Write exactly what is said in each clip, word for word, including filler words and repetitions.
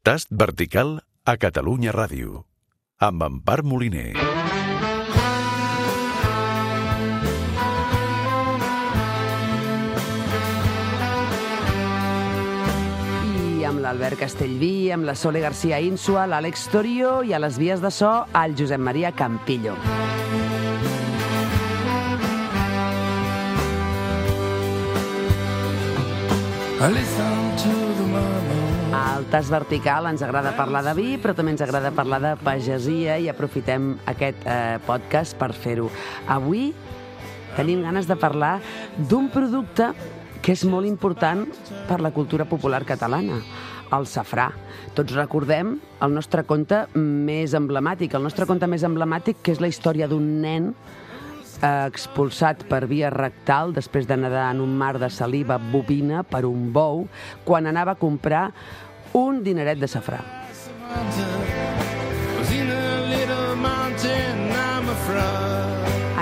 Tast vertical a Catalunya Ràdio, amb Empar Moliner. I amb l'Albert Castellví, amb la Sole García Insua, l'Àlex Torio i a les vies de so, el Josep Maria Campillo. Al Tast vertical ens agrada parlar de vi, però també ens agrada parlar de pagesia i aprofitem aquest eh, podcast per fer-ho. Avui tenim ganes de parlar d'un producte que és molt important per la cultura popular catalana, el safrà. Tots recordem el nostre conte més emblemàtic, el nostre conte més emblemàtic, que és la història d'un nen eh, expulsat per via rectal després de nedar en un mar de saliva bovina per un bou quan anava a comprar un dineret de safrà.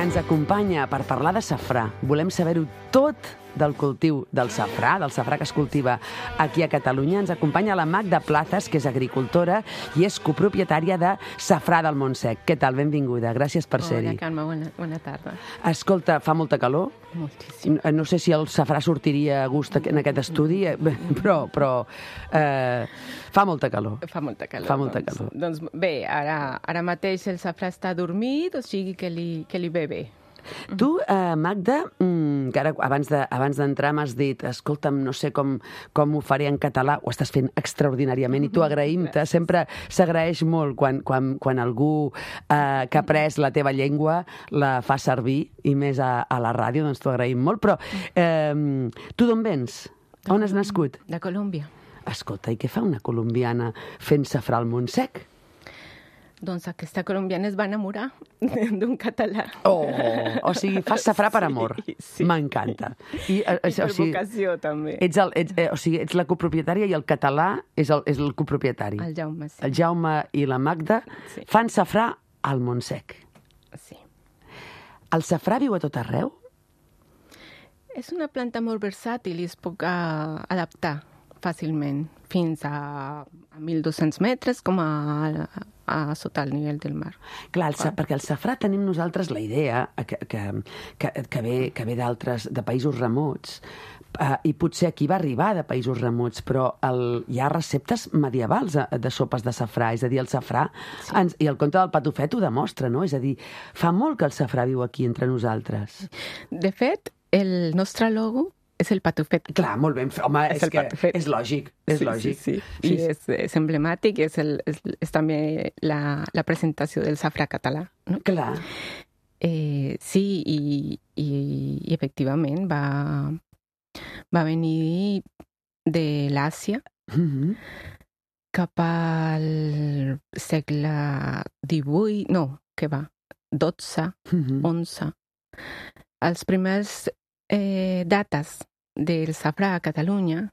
Ens acompanya per parlar de safrà. Volem saber-ho tot del cultiu del safrà, del safrà que es cultiva aquí a Catalunya. Ens acompanya la Magda Plazas, que és agricultora i és copropietària de Safrà del Montsec. Què tal? Benvinguda. Gràcies per ser-hi. Hola, Carme. Bona, bona tarda. Escolta, fa molta calor? Moltíssim. No sé si el safrà sortiria a gust en aquest estudi, però, però eh, fa molta calor. Fa molta calor. Fa molta doncs, calor. Doncs bé, ara, ara mateix el safrà està dormit, o sigui que li, que li ve bé. Tu, eh, Magda, mm, que ara abans de, abans d'entrar m'has dit, escolta'm, no sé com, com ho faré en català, ho estàs fent extraordinàriament i tu agraïm-te, sempre s'agraeix molt quan, quan, quan algú eh, que ha après la teva llengua la fa servir, i més a, a la ràdio, doncs t'ho agraïm molt, però eh, tu d'on vens? On has nascut? De Colòmbia. Escolta, i què fa una colombiana fent safrà al Montsec? Doncs aquesta colombiana es va enamorar d'un català. Oh, o sigui, fas safrà per amor. Sí, sí. M'encanta. I, I per o sigui, vocació, també. Ets, el, ets, eh, o sigui, ets la copropietària i el català és el, és el copropietari. El Jaume, sí. El Jaume i la Magda sí. fan safrà al Montsec. Sí. El safrà viu a tot arreu? És una planta molt versàtil i es pot uh, adaptar fàcilment fins a, a mil dos-cents metres, com a, a sota el nivell del mar. Clar, el, ah. perquè el safrà tenim nosaltres la idea que, que, que, que ve, que ve d'altres, de països remots, uh, i potser aquí va arribar de països remots, però el, hi ha receptes medievals de, de sopes de safrà, és a dir, el safrà, sí. ens, i el conte del patufet ho demostra, no? És a dir, fa molt que el safrà viu aquí entre nosaltres. De fet, el nostre logo és el patufet. Clar, molt ben fet. Home, és, és, que és lògic. És sí, lògic. Sí, sí. sí. I és, és emblemàtic, és, el, és, és també la, la presentació del safrà català. No? Clar. Eh, sí, i, i, i efectivament va, va venir de l'Àsia mm-hmm. cap al segle divuit, no, què va? dotze, mm-hmm. onze. Els primers eh, dates del safrà a Catalunya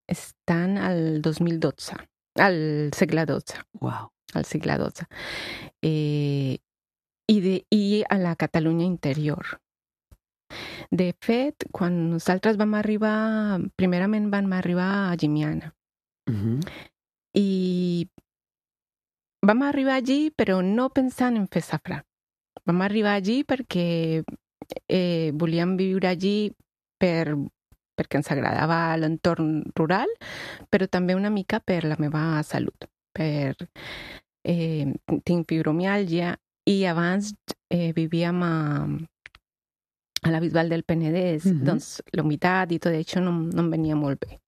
estan al dos mil dotze, al segle dotze. Wow. Al segle dotze. Eh, i, de, I a la Catalunya interior. De fet, quan nosaltres vam arribar, primerament vam arribar a Llimiana. Mm-hmm. I vam arribar allí, però no pensant en fer safrà. Vam arribar allí perquè eh, volíem viure allí per perquè ens agradava l'entorn rural, però també una mica per la meva salut. Per, eh, tinc fibromiàlgia i abans eh, vivíem a, a la Bisbal del Penedès, mm-hmm. doncs l'humitat i tot això no, no em venia molt bé.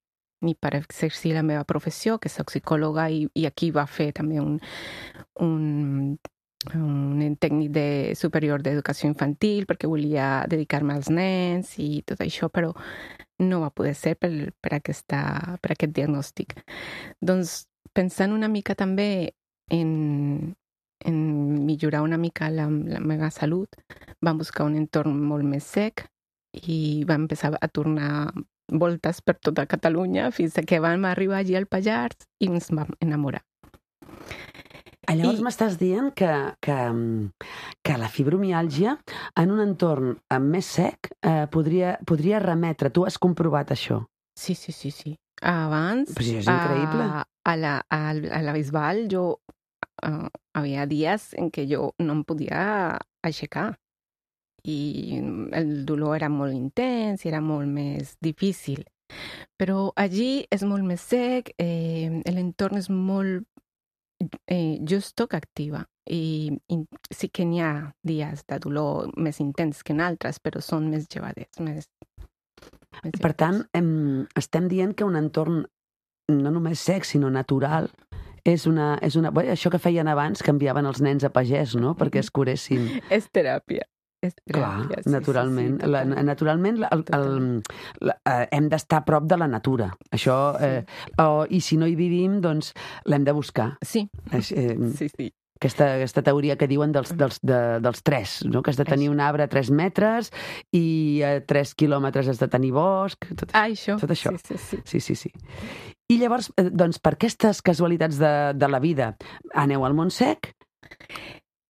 Ni per exercir la meva professió, que soc psicòloga, i, i aquí va fer també un, un, un tècnic de, superior d'educació infantil, perquè volia dedicar-me als nens i tot això, però no va poder ser per, per, aquesta, per aquest diagnòstic. Doncs pensant una mica també en, en millorar una mica la, la meva salut, vam buscar un entorn molt més sec i vam empezar a tornar voltes per tota Catalunya fins que vam arribar allí al Pallars i ens vam enamorar. Llavors I... m'estàs dient que, que, que la fibromiàlgia en un entorn més sec eh, podria, podria remetre. Tu has comprovat això? Sí, sí, sí, sí. Abans, Però això és increïble. a, a, la, a, a la Bisbal, jo uh, havia dies en què jo no em podia aixecar. I el dolor era molt intens i era molt més difícil. Però allí és molt més sec, eh, l'entorn és molt eh, justo que activa. I, I sí que n'hi ha dies de dolor més intens que en altres, però són més llevaders, més... Per tant, em, estem dient que un entorn no només sec, sinó natural, és una... És una bé, això que feien abans, que enviaven els nens a pagès, no?, perquè es curessin. És teràpia. És Clar, teràpia, sí, naturalment. sí, sí, la, naturalment el, el, la, eh, hem d'estar a prop de la natura. Això, eh, o, i si no hi vivim, doncs l'hem de buscar. Sí, eh, sí, sí. Aquesta, aquesta teoria que diuen dels, dels, de, dels tres, no? Que has de tenir un arbre a tres metres i a tres quilòmetres has de tenir bosc. Tot, ah, això. Tot això. Sí, sí, sí. sí, sí, sí. I llavors, doncs, per aquestes casualitats de, de la vida, aneu al Montsec?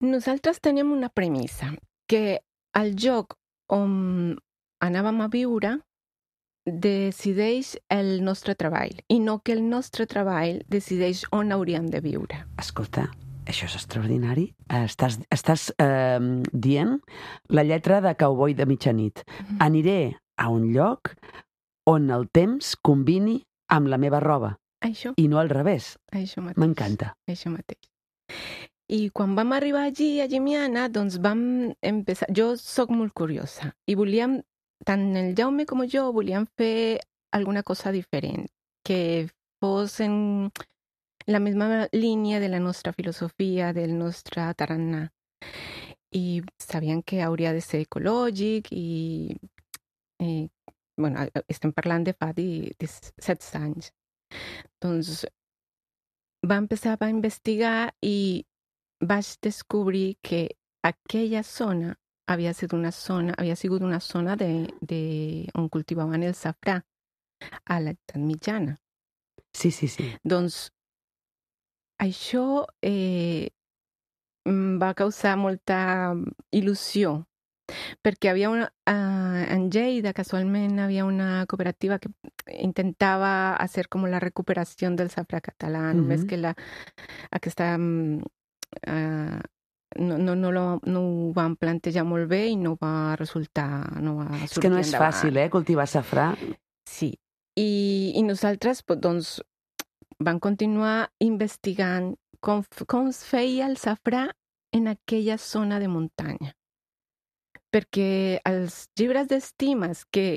Nosaltres tenim una premissa, que el lloc on anàvem a viure decideix el nostre treball i no que el nostre treball decideix on hauríem de viure. Escolta, això és extraordinari. Estàs, estàs eh, dient la lletra de Cowboy de mitjanit. Mm-hmm. Aniré a un lloc on el temps combini amb la meva roba. Això. I no al revés. Això mateix. M'encanta. Això mateix. I quan vam arribar allí, a Llimiana, doncs vam empezar... Jo sóc molt curiosa i volíem, tant el Jaume com jo, volíem fer alguna cosa diferent, que fos en la misma línia de la nostra filosofia, del nostre tarannà. I sabien que hauria de ser ecològic i... Eh, bueno, estem parlant de fa disset anys. Doncs va empezar a investigar i vaig descobrir que aquella zona havia sigut una zona, havia sigut una zona de, de on cultivaven el safrà a l'edat mitjana. Sí, sí, sí. Doncs això eh, va causar molta il·lusió, perquè havia una, uh, en Lleida casualment havia una cooperativa que intentava hacer com la recuperació del safrà català, mm-hmm. només que la, aquesta... Uh, no, no, no, lo, no ho van plantejar molt bé i no va resultar... No va és que no és endavant. fàcil, eh, cultivar safrà. Sí. I, i nosaltres, doncs, vam continuar investigant com, com es feia el safrà en aquella zona de muntanya. Perquè els llibres d'estimes que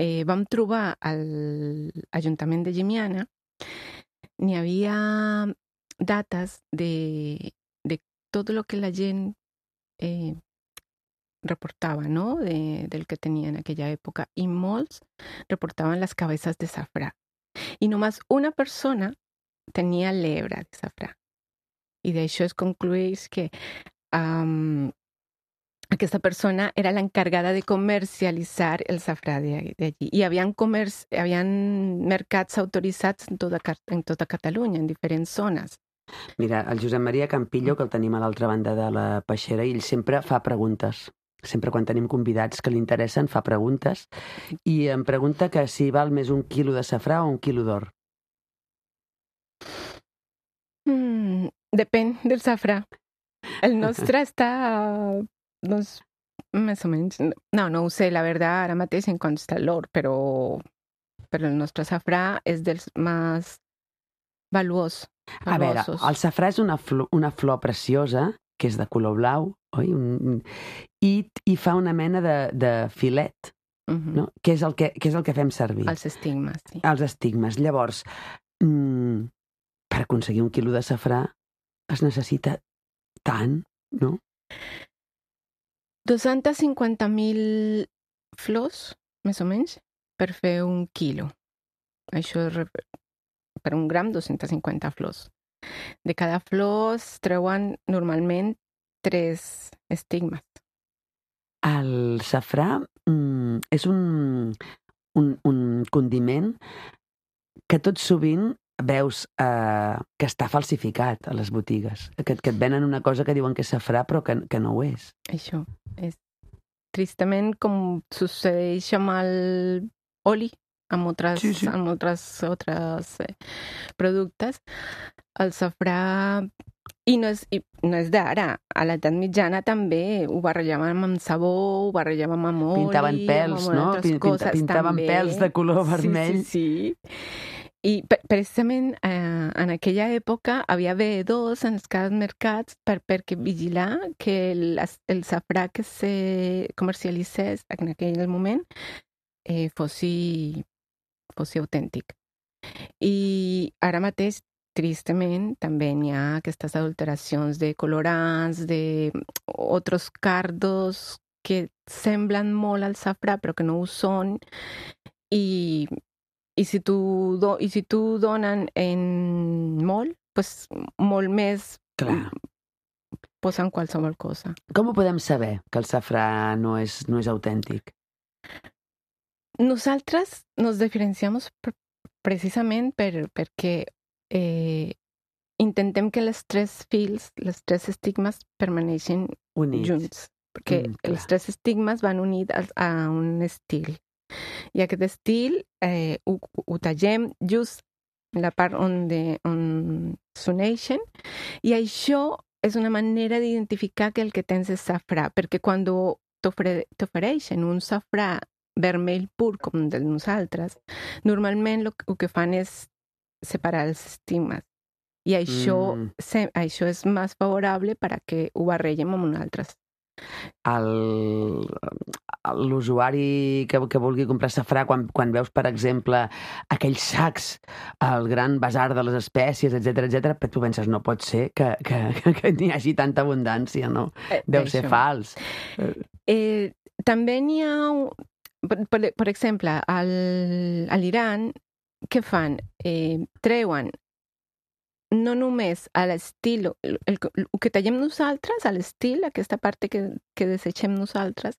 eh, vam trobar al Ajuntament de Llimiana n'hi havia dates de, de tot el que la gent eh, reportava, no? De, del que tenia en aquella època. I molts reportaven les cabezas de safrà. I només una persona tenia l'hebra de safrà. I d'això es conclueix que um, aquesta persona era l'encarregada de comercialitzar el safrà d'allí. I hi havia mercats autoritzats en tota, en tota Catalunya, en diferents zones. Mira, el Josep Maria Campillo, que el tenim a l'altra banda de la peixera, ell sempre fa preguntes. Sempre quan tenim convidats que li interessen, fa preguntes. I em pregunta que si val més un quilo de safrà o un quilo d'or. Mm, depèn del safrà. El nostre està... doncs, més o menys... No, no ho sé, la veritat, ara mateix en quant està l'or, però, però el nostre safrà és dels més valuós. A veure, el safrà és una flor, una flor preciosa, que és de color blau, oi? Un, i, i fa una mena de, de filet, uh-huh. no? Que és, el que, que és el que fem servir. Els estigmes, sí. Els estigmes. Llavors, mm, per aconseguir un quilo de safrà es necessita tant, no? dos-cents cinquanta mil flors, més o menys, per fer un quilo. Això és per un gram, dos-cents cinquanta flors. De cada flor es treuen normalment tres estigmes. El safrà mm, és un, un, un condiment que tot sovint veus eh, que està falsificat a les botigues. Que, que et venen una cosa que diuen que és safrà però que, que no ho és. Això és tristament com succeeix amb l'oli amb altres, Sí, sí. amb altres, altres eh, productes. El safrà, i no és, i no és d'ara, a l'edat mitjana també ho barrejàvem amb sabó, ho barrejàvem amb oli, Pintaven pèls, amb no? altres Pin- coses pintaven també. pèls de color vermell. Sí, sí, sí. I pre- precisament eh, en aquella època havia veedors en els cada mercats per, perquè vigilar que el, el safrà que se comercialitzés en aquell moment eh, fossi, fossi autèntic. I ara mateix, tristament, també n'hi ha aquestes adulteracions de colorants, de altres cardos que semblen molt al safrà però que no ho són, i, i si tu do, i si tu donen en molt, pues molt més Clar. posen qualsevol cosa. Com ho podem saber, que el safrà no és, no és autèntic? Nosaltres nos diferenciamos pr- precisament per, perquè eh, intentem que les tres fils, les tres estigmes permaneixin Units. junts, perquè Mm, clar. els tres estigmes van units a, a un estil. I aquest estil eh, ho, ho tallem just en la part on, de, on s'uneixen, i això és una manera d'identificar que el que tens és safrà, perquè quan t'ofereixen un safrà vermell pur com el de nosaltres, normalment el, el que fan és separar els estigmes. I això, Mm. se, això és més favorable per a que ho barregem amb un altre. El- L'usuari que, que vulgui comprar safrà, quan, quan veus, per exemple, aquells sacs, el gran basar de les espècies, etcètera, etcètera, però tu penses, no pot ser que, que, que, que n'hi hagi tanta abundància, no? Eh, Deu ser això. fals. Eh, també n'hi ha, un- per, per, per exemple, al, a l'Iran, què fan? Eh, treuen no només a l'estil, el, el, el que tallem nosaltres, a l'estil, aquesta part que, que desitgem nosaltres,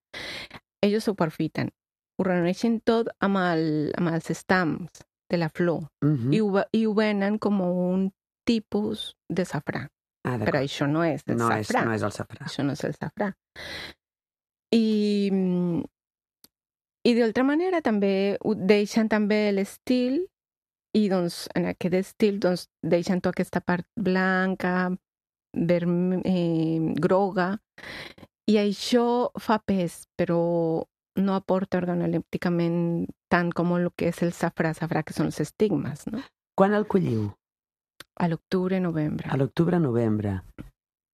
ells ho aprofiten. Ho reuneixen tot amb, el, amb els estams de la flor Mhm. i, ho, ve- i ho venen com un tipus de safrà. Ah, Però d'acord. això no és el No és, safrà. no és el safrà. Això no és el safrà. I, mm, i d'altra manera també ho deixen també l'estil, i doncs en aquest estil doncs deixen tota aquesta part blanca, verme, eh, groga, i això fa pes, però no aporta organolèpticament tant com el que és el safrà, safrà que són els estigmes, no? Quan el colliu? A l'octubre, novembre. A l'octubre, novembre.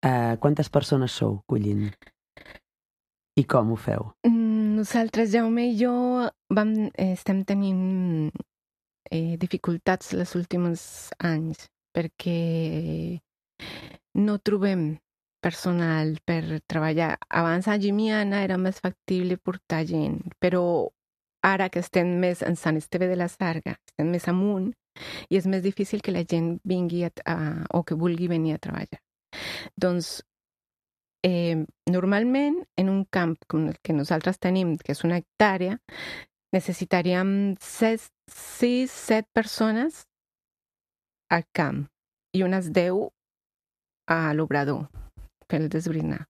Uh, quantes persones sou collint? I com ho feu? Mm, Nosaltres, Jaume i jo, vam, eh, estem tenint eh, dificultats els últims anys perquè no trobem personal per treballar. Abans a Llimiana era més factible portar gent, però ara que estem més en Sant Esteve de la Sarga, estem més amunt, i és més difícil que la gent vingui a, a, o que vulgui venir a treballar. Doncs, eh, normalment, en un camp com el que nosaltres tenim, que és una hectàrea, necessitaríem sis, sis, set persones al camp i unes deu a l'obrador per desbrinar.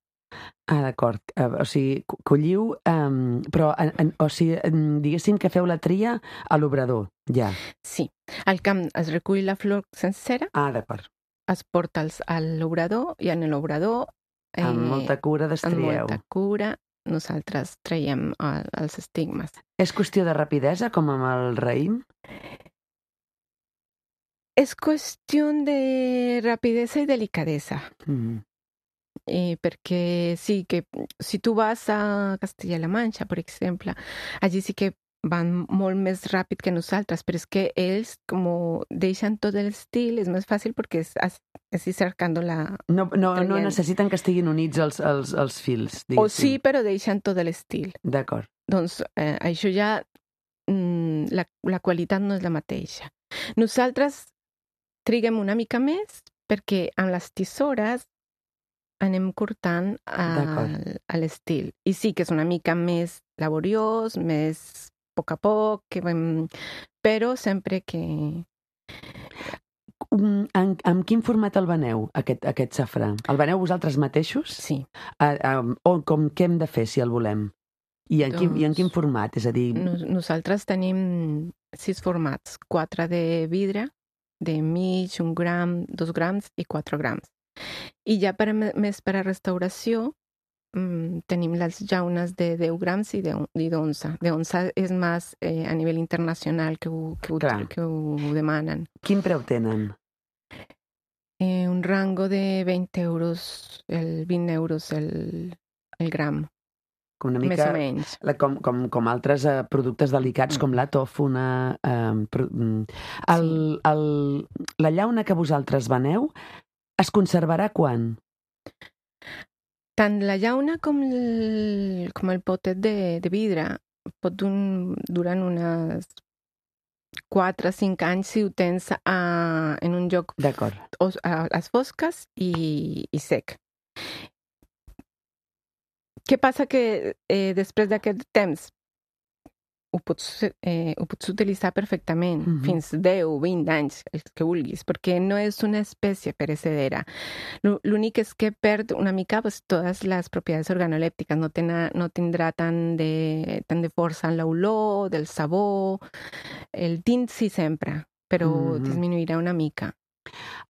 Ah, d'acord. Uh, o sigui, co- colliu, um, però, en, en, o sigui, en, diguéssim que feu la tria a l'obrador, ja. Sí, al camp es recull la flor sencera, Ah, d'acord. es porta als, a l'obrador, i en l'obrador, eh, Amb molta cura amb destrieu. molta cura, nosaltres traiem el, els estigmes. És qüestió de rapidesa, com amb el raïm? És qüestió de rapidesa i delicadesa. Mm. Eh, perquè sí, que si tu vas a Castella-La Manxa, per exemple, allí sí que van molt més ràpid que nosaltres, però és que ells com deixen tot l'estil, és més fàcil perquè és, és ir cercant la... No, no, no Traient. necessiten que estiguin units els, els, els fils, O diguéssim. sí, però deixen tot l'estil. D'acord. Doncs eh, això ja, mm, la, la qualitat no és la mateixa. Nosaltres triguem una mica més perquè amb les tisores anem cortant D'acord. a, a l'estil. I sí que és una mica més laboriós, més a poc a poc, que vam... però sempre que... Um, en, en quin format el veneu, aquest, aquest safrà? El veneu vosaltres mateixos? Sí. Uh, um, o com què hem de fer si el volem? I en, doncs, quin, I en quin format? És a dir... Nos, nosaltres tenim sis formats. Quatre de vidre, de mig, un gram, dos grams i quatre grams. I ja per, més per a restauració mmm, tenim les llaunes de deu grams i d'onze. De onze és més eh, a nivell internacional que ho, que, ho, que ho demanen. Quin preu tenen? Eh, un rango de vint euros, el vint euros el, el gram. Com una mica, més o menys. La, com, com, com altres uh, productes delicats, mm. com la tòfona. Uh, el, sí. el, la llauna que vosaltres veneu es conservarà quan? Tant la llauna com el, com el potet de, de vidre pot un, durar unes quatre o cinc anys si ho tens a, en un lloc a les fosques i, i sec. Què passa que eh, després d'aquest temps ho pots, eh, ho pots utilitzar perfectament, mm-hmm. fins deu, vint anys, el que vulguis, perquè no és una espècie perecedera. L'únic és que perd una mica pues, totes les propietats organolèptiques, no, tena, no tindrà tant de, tant de força en l'olor, del sabor, el tint sí sempre, però mm-hmm. disminuirà una mica.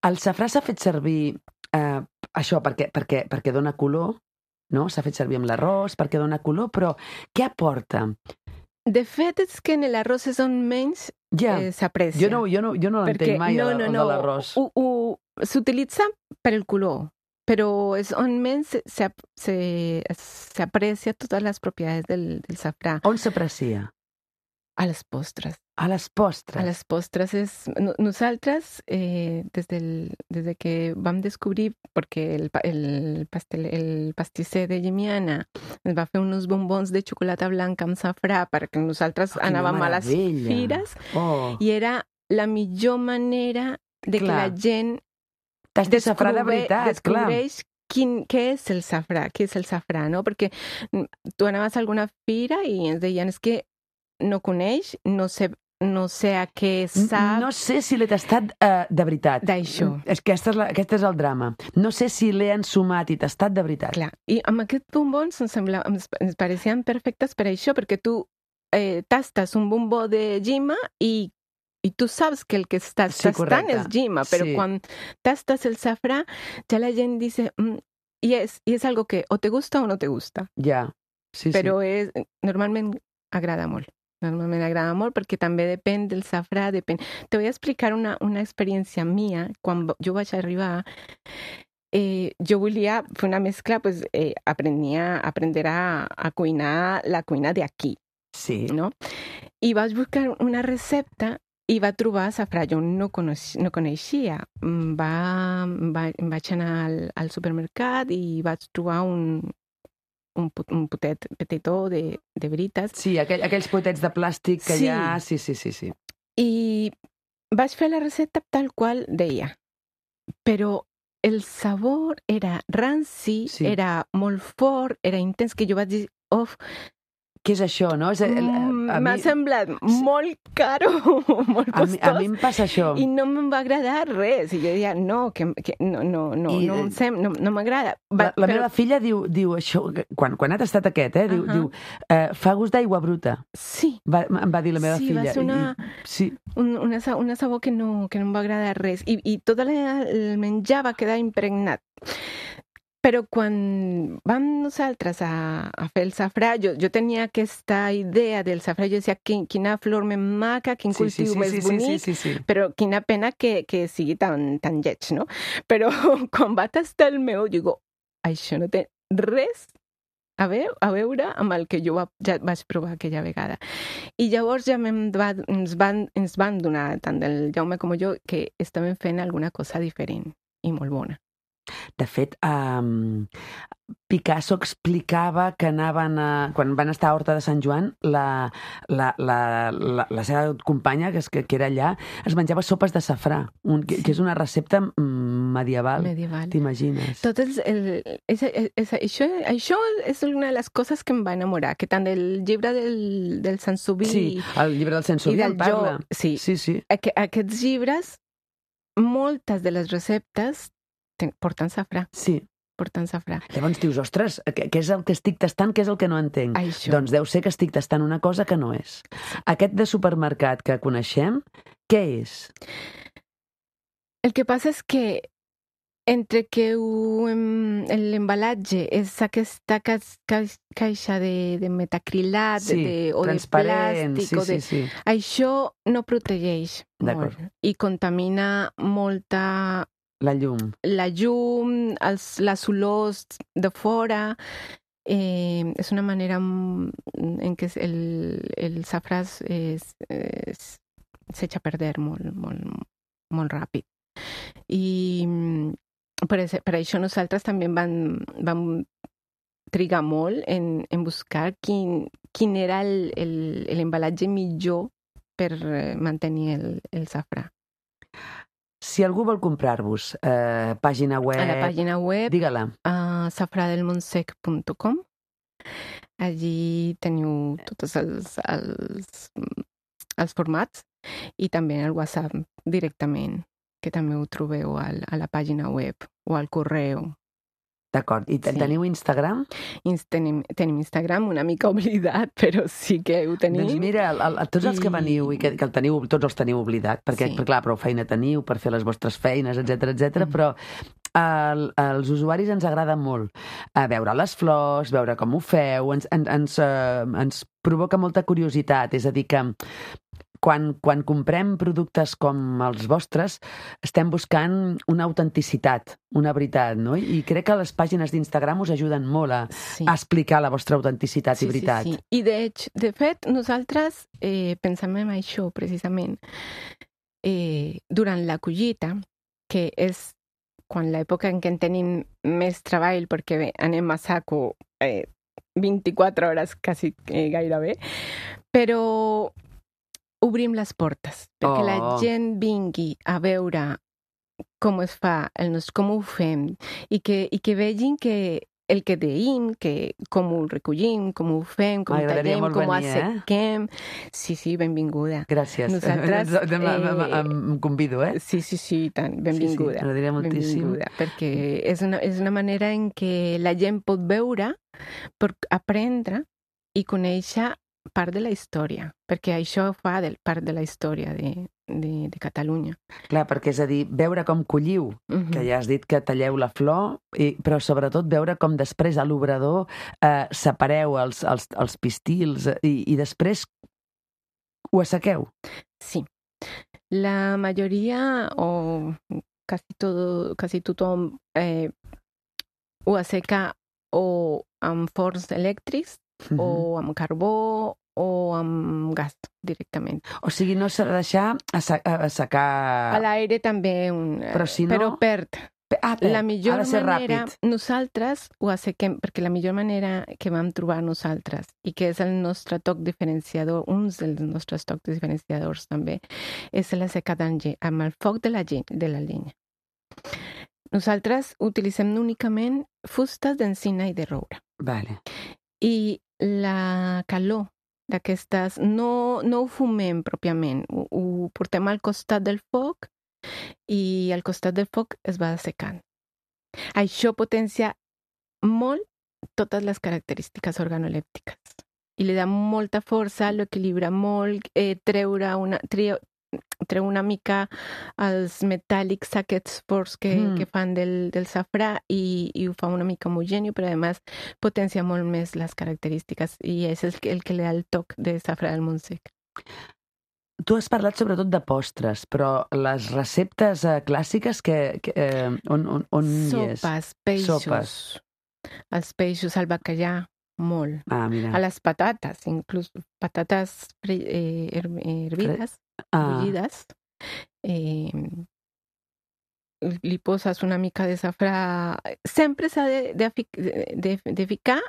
El safrà s'ha fet servir eh, això perquè, perquè, perquè dona color, no? S'ha fet servir amb l'arròs perquè dona color, però què aporta? De fet, és que en l'arròs és on menys ja. eh, s'aprecia. Jo no, jo no, jo no l'entenc mai, no, no, el, no. de l'arròs. S'utilitza per el color, però és on menys s'aprecia totes les propietats del, del safrà. On s'aprecia? A les postres. A les postres. A les postres és... Nosaltres, eh, des, del, des de que vam descobrir, perquè el, el, pastel, el pastisser de Llimiana ens va fer uns bombons de xocolata blanca amb safrà perquè nosaltres oh, anàvem a les fires oh. i era la millor manera de clar. Que la gent T'has de safrà de veritat, descobreix clar. Quin, què és el safrà, què és el safrà, no? Perquè tu anaves a alguna fira i ens deien és que no coneix, no sé, no sé a què sap... No sé si l'he tastat uh, de veritat. D'això. És que aquest és, la, aquest és el drama. No sé si l'he ensumat i tastat de veritat. Clar, i amb aquests bombons ens, sembla, ens, ens pareixien perfectes per això, perquè tu eh, tastes un bombó de llima i, i tu saps que el que estàs sí, tastant correcte. És llima, però sí. Quan tastes el safrà, ja la gent dice... Mm, i, és, I és algo que o te gusta o no te gusta. Ja, sí, però sí. És, normalment agrada molt. Normalment agrada molt perquè també depèn del safrà, depèn... Te voy a explicar una, una experiència mia. Quan jo vaig arribar, eh, jo volia fer una mescla, pues, eh, aprenia, aprender a, a cuinar la cuina de aquí. Sí. No? I vaig buscar una recepta i va trobar safrà. Jo no, coneix, no coneixia. Va, va, vaig anar al, al supermercat i vaig trobar un... un, un potet petitó de, de veritas. Sí, aquell, aquells potets de plàstic que sí. hi ha... Sí, sí, sí, sí. I vaig fer la recepta tal qual deia. Però el sabor era ranci, sí. Era molt fort, era intens, que jo vaig dir, oh, què és això, no? És, el, M'ha mi... semblat molt caro, molt costós. A mi, a mi em passa això. I no me'n va agradar res. I jo deia, no, que, que no, no, no, I, no, sem, no, no m'agrada. La, la però... meva filla diu, diu això, quan, quan ha tastat aquest, eh, diu, uh -huh. diu eh, fa gust d'aigua bruta. Sí. Va, em va dir la meva sí, filla. Va ser una, I, sí, un, una, una sabor que no, que no em va agradar res. I, i tot el menjar va quedar impregnat. Però quan vam nosaltres a, a fer el safrà, jo, jo tenia aquesta idea del safrà, jo deia, quina flor més maca, quin sí, cultiu sí, sí, més sí, bonic, sí, sí, sí, sí. Però quina pena que, que sigui tan, tan lleig, no? Però quan va tastar el meu, digo, això no té res a, veu, a veure amb el que jo va, ja vaig provar aquella vegada. I llavors ja va, ens, van, ens van donar, tant el Jaume com jo, que estàvem fent alguna cosa diferent i molt bona. De fet, um, Picasso explicava que anaven a, quan van estar a Horta de Sant Joan, la, la, la, la, la seva companya, que, és, que, que era allà, es menjava sopes de safrà, un, que, que és una recepta medieval. Medieval. T'imagines? Tot el, el, és, és, això, això és una de les coses que em va enamorar, que tant el llibre del, del Sansoví... Sí, el llibre del Sansoví en parla. Jo, sí, sí, sí. Aqu aquests llibres, moltes de les receptes porten safrà. Sí. portant safrà. Llavors dius, ostres, què és el que estic tastant, què és el que no entenc? Això. Doncs deu ser que estic tastant una cosa que no és. Aquest de supermercat que coneixem, què és? El que passa és que entre que l'embalatge és aquesta ca ca caixa de, de metacrilat sí, de, o de plàstic, sí, o de... sí, sí. això no protegeix molt i contamina molta... La llum. La llum, els, les olors de fora. Eh, és una manera en què el, el safrà s'echa a perder molt, molt, molt ràpid. I per, per això nosaltres també vam, vam trigar molt en, en buscar quin, quin era l'embalatge millor per mantenir el, el safrà. Si algú vol comprar-vos, eh, pàgina web... A la pàgina web, digue-la. Uh, safradelmontsec punt com. Allí teniu tots els, els, els formats i també el WhatsApp directament, que també ho trobeu al, a la pàgina web o al correu. D'acord. I sí. Teniu Instagram? Tenim, tenim Instagram, una mica oblidat, però sí que ho tenim. Doncs mira, el, el, tots els I... que veniu i que, que el teniu, tots els teniu oblidat, perquè, sí. clar, prou feina teniu per fer les vostres feines, etcètera, etcètera, mm. però el, els usuaris ens agrada molt a veure les flors, veure com ho feu, ens, ens, ens, uh, ens provoca molta curiositat, és a dir que Quan, quan comprem productes com els vostres, estem buscant una autenticitat, una veritat, no? I crec que les pàgines d'Instagram us ajuden molt a, sí. a explicar la vostra autenticitat sí, i veritat. Sí, sí. I de, de fet, nosaltres eh, pensem en això, precisament, eh, durant la collita, que és quan l'època en què en tenim més treball, perquè bé, anem a saco eh, vint-i-quatre hores quasi eh, gairebé, però obrim les portes perquè oh. la gent vingui a veure com es fa, el nos, com ho fem i que, i que vegin que el que deim, que com ho recollim, com ho fem, com ho tallem, com ho assequem. Eh? Sí, sí, benvinguda. Gràcies. Nosaltres... Eh, em convido, eh? Sí, sí, sí, tant. Benvinguda. Sí, sí, m'agradaria moltíssim. Benvinguda, perquè és una, és una manera en què la gent pot veure, pot aprendre i conèixer part de la història, perquè això fa del, part de la història de, de, de Catalunya. Clar, perquè és a dir, veure com colliu, uh-huh. que ja has dit que talleu la flor, i, però sobretot veure com després a l'obrador eh, separeu els, els, els pistils i, i després ho assequeu. Sí. La majoria, o quasi, todo, quasi tothom, eh, ho asseca o amb forns elèctrics, Uh-huh. o amb carbó o amb gas directament. O sigui, no s'ha de deixar assecar... A l'aire també, un... però, si no... però perd. Ah, perd. La millor ha de ser manera, ràpid. Nosaltres ho assequem, perquè la millor manera que vam trobar nosaltres, i que és el nostre toc diferenciador, un dels nostres tocs diferenciadors també, és l'assecat amb el foc de la, de la llenya. Nosaltres utilitzem únicament fustes d'encina i de roure. Vale. I la calor d'aquestes, no, no ho fumem pròpiament, ho, ho portem al costat del foc i al costat del foc es va assecant. Això potencia molt totes les característiques organolèptiques i li dà molta força, l'equilibra molt, eh, treure una, treu, treu una mica els metàl·lics aquests forts que, mm. que fan del, del safrà i, i ho fa una mica homogèneo, però a més potencia molt més les característiques i és el, el que li da el toc de safrà del Montsec. Tu has parlat sobretot de postres, però les receptes eh, clàssiques que, que, eh, on, on, on Sopes, hi és? peixos. Sopes. Els peixos, el bacallà, molt. Ah, mira. A les patates, inclús patates eh, hervides, ah. bullides. Eh, li poses una mica de safrà. Sempre s'ha de, de, de, de ficar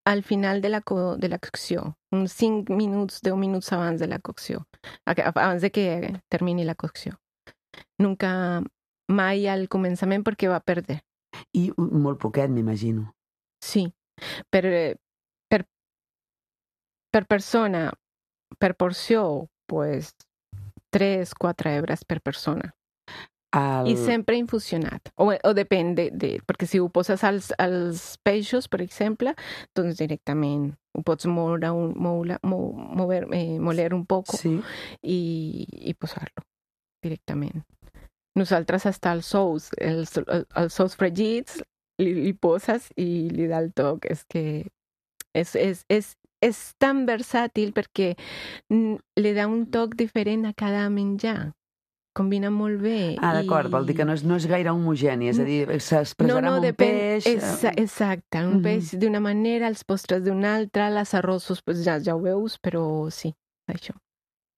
al final de la, co de la cocció, uns cinc minuts, deu minuts abans de la cocció, abans de que termini la cocció. Nunca, mai al començament perquè va perdre. I molt poquet, m'imagino. Sí, per, per, per persona, per porció, pues, tres, quatre hebres per persona. El... I sempre infusionat. O, o depèn de, de... Perquè si ho poses als, als peixos, per exemple, doncs directament ho pots moure un, moure, mover, eh, moler un poc sí. i, i posar-lo directament. Nosaltres hasta els sous, els, els sous fregits, li, li poses i li da el toc. És que és, és, és, és tan versàtil perquè li da un toc diferent a cada menjar. Combina molt bé. Ah, d'acord, i... vol dir que no és, no és gaire homogeni, és a dir, s'expressarà no, no, amb un depèn, peix... Exa exacte, un uh -huh. peix d'una manera, els postres d'una altra, les arrossos, pues ja, ja ho veus, però sí, això.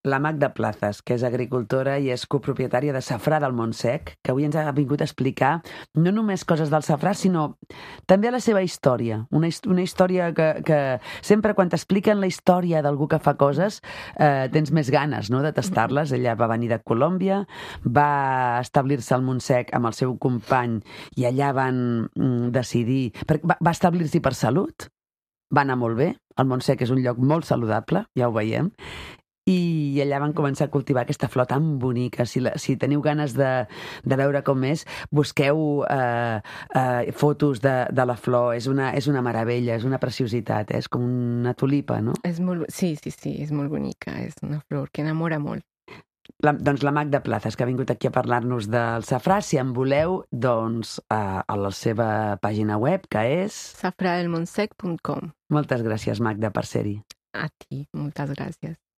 La Magda Plazas, que és agricultora i és copropietària de Safrà del Montsec, que avui ens ha vingut a explicar no només coses del safrà, sinó també la seva història. Una, una història que, que sempre quan t'expliquen la història d'algú que fa coses eh, tens més ganes, no?, de tastar-les. Ella va venir de Colòmbia, va establir-se al Montsec amb el seu company i allà van mm, decidir... Va, va establir-s'hi per salut, va anar molt bé. El Montsec és un lloc molt saludable, ja ho veiem. I allà van començar a cultivar aquesta flor tan bonica. Si, la, si teniu ganes de, de veure com és, busqueu eh, eh, fotos de, de la flor. És una, és una meravella, és una preciositat, eh? És com una tulipa, no? És molt, sí, sí, sí, és molt bonica. És una flor que enamora molt. La, doncs la Magda Plazas, que ha vingut aquí a parlar-nos del safrà. Si en voleu, doncs a, a la seva pàgina web, que és... safradelmontsec punt com. Moltes gràcies, Magda, per ser-hi. A ti, moltes gràcies.